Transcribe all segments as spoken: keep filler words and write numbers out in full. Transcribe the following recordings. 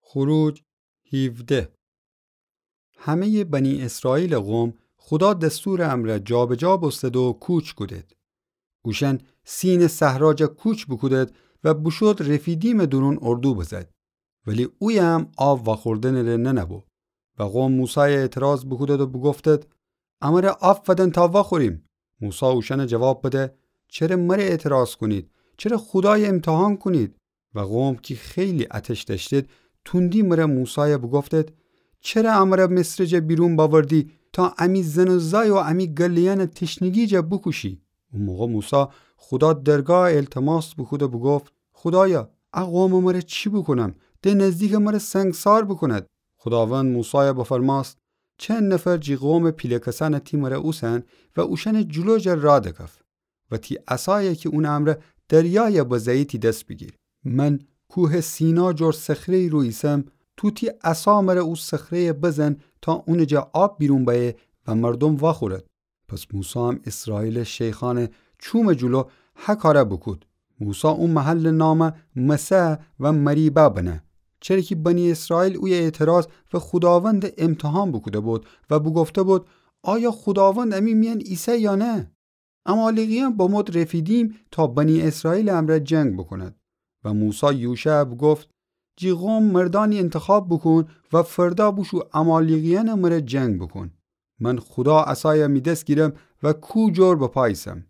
خروج هیوده. همه‌یٚ بنی اسرائیلٚ قوم خودا دستورٚ امرأ جابجا بوستد و کوچ کودید. اوشأن سینٚ صحرا جا کوچ بوکودید و بوشود رفیدیمٚ دورون اردو بزد. ولی اویم آب وأخوردنٚ‌ره ننه‌بو. و قوم موسایَ اعتراض بوکودید و بوگفتید: امرَ آب فدن تا وأخوریم. موسی اوشأنَ جواب بده: چره مرَ اعتراض کونید؟ چره خودایَ امتحان کونید؟ و قوم کی خیلی آتش دأشتید، توندی مرَ موسایَ بوگفتید: چره امرَ مصرٚ جا بیرون بأوردی تا امی زن و زای و امی گله‌یأنَ تشنگی جا بوکوشی؟ او موقع موسی خودا درگاه التماس بوکود و بوگفت: خودایا، ا قومَ مرَ چی بوکونم؟ د نزدیکَ مرَ سنگسار بوکوند. خوداوند موسایَ بفرمأست: چند نفر جی قومٚ پیله کسأنَ تی مرَ اوسن و اوشأنٚ جلو جا رأ دکف. و تی عصایَ کی اونٚ امرأ دریایَ بزه‌یی تی دس بیگیر. من کوهٚ سینا جور صخره‌یی رو ایسم، تو تی عصا مرَ او صخره‌یَ بزن تا اونٚ جا آب بیرون بأیه و مردوم وأخورد. پس موسی هم اسرائیلٚ شیخأنٚ چومٚ جلو هه کارَ بوکود. موسی او محلٚ نامَ مسح و مریبا بنه، چره کی بنی اسرائیل اویه اعتراض و خوداوندَ امتحان بوکوده‌بود و بوگفته‌بود: آیا خوداوند امی میأن ایسه یا نه؟ عمالیقیأن بمود رفیدیم تا بنی اسرائیلٚ امرأ جنگ بوکوند. و موسی یوشعَ بوگفت: جی قوم مردأنی انتخاب بوکون و فردا بوشو عمالیقیأنٚ مرَ جنگ بوکون. من خودا عصایَ می دس گیرم و کو جور بپا ایسم.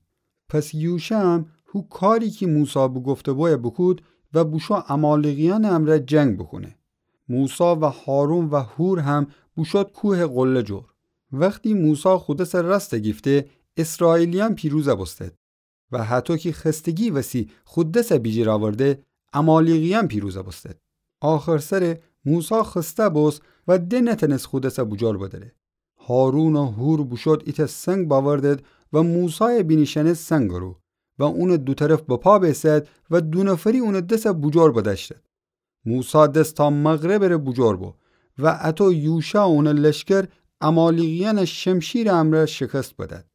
پس یوشع هم هو کاری کی موسی بوگفته‌بویَ بوکود و بوشو عمالیقیأنٚ امرأ جنگ بوکونه. موسی و هارون و حور هم بوشود کوهٚ قله جور. وختی موسی خو دسَ راستَ گیفته، اسرائیلیأن پیروزَ بوستد. و هطو کی خستگی وسی خو دسَ بیجیر آورده، عمالیقیأن پیروزَ بوستد. آخر سرَ موسی خسته بوست و د نتأنست خو دسَ بوجور بدأره. هارون و حور بوشود ایتأ سنگ بأوردد و موسایَ بینیشأنست سنگٚ رو و اونٚ دو طرف بپا بیسد و دو نفری اونٚ دسَ بوجور بدأشتد. موسی دس تا مغربٚ ره بوجور بو و اطو یوشع و اونٚ لشکر عمالیقیأنَ شمشیرٚ امرأ شکست بدد.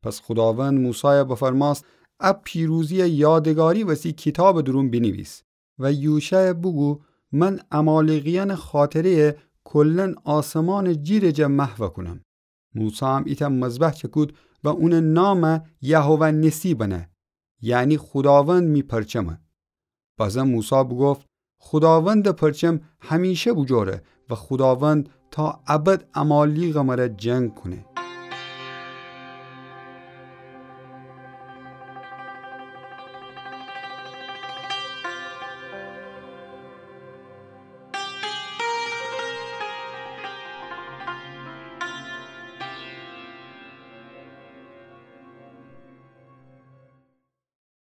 پس خوداوند موسایَ بفرمأست: ا پیروزی‌یَ یادگاری وسی کیتابٚ دورون بینیویس و یوشعَ بوگو: من عمالیقیأنٚ خاطره‌یَ کلاً آسمانٚ جیرٚ جا محوَ کونم. موسی هم ایتأ مذبح چکود و اونٚ نامَ یهوه نسی بنه، یعنی خوداوند می پرچمه. بازم موسی بوگفت: خوداوندٚ پرچم همیشه بوجوره و خوداوند تا ابد عمالیقٚ مرَ جنگ کونه.